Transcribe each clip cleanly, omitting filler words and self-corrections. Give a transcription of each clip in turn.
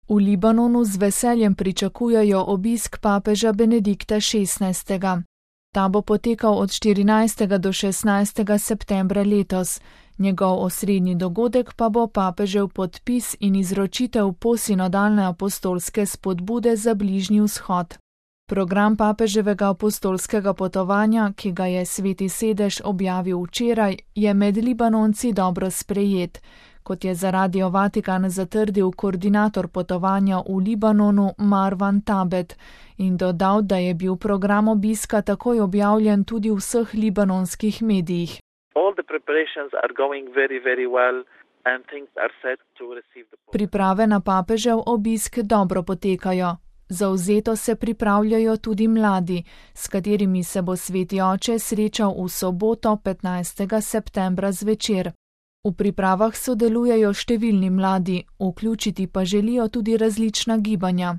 V Libanonu z veseljem pričakujejo obisk papeža Benedikta XVI. Ta bo potekal od 14. do 16. septembra letos. Njegov osrednji dogodek pa bo papežev podpis in izročitev posinodalne apostolske spodbude za Bližnji vzhod. Program papeževega apostolskega potovanja, ki ga je Sveti sedež objavil včeraj, je med Libanonci dobro sprejet, kot je za Radio Vatikan zatrdil koordinator potovanja v Libanonu Marwan Tabet in dodal, da je bil program obiska takoj objavljen tudi v vseh libanonskih medijih. Priprave na papežev obisk dobro potekajo. Zavzeto se pripravljajo tudi mladi, s katerimi se bo Sveti oče srečal v soboto 15. septembra zvečer. V pripravah sodelujejo številni mladi, vključiti pa želijo tudi različna gibanja.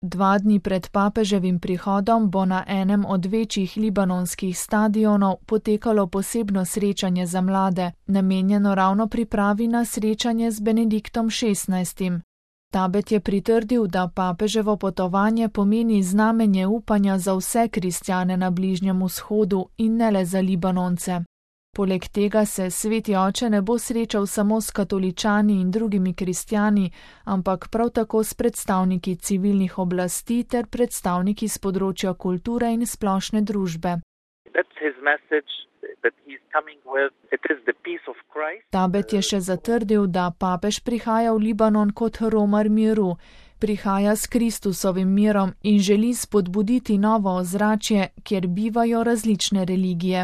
2 dni pred papeževim prihodom bo na enem od večjih libanonskih stadionov potekalo posebno srečanje za mlade, namenjeno ravno pripravi na srečanje z Benediktom XVI. Tabet je pritrdil, da papeževo potovanje pomeni znamenje upanja za vse kristjane na Bližnjem vzhodu in ne le za Libanonce. Poleg tega se Sveti oče ne bo srečal samo s katoličani in drugimi kristjani, ampak prav tako s predstavniki civilnih oblasti ter predstavniki z področja kulture in splošne družbe. Tabet je še zatrdil, da papež prihaja v Libanon kot romar miru, prihaja s Kristusovim mirom in želi spodbuditi novo ozračje, kjer bivajo različne religije.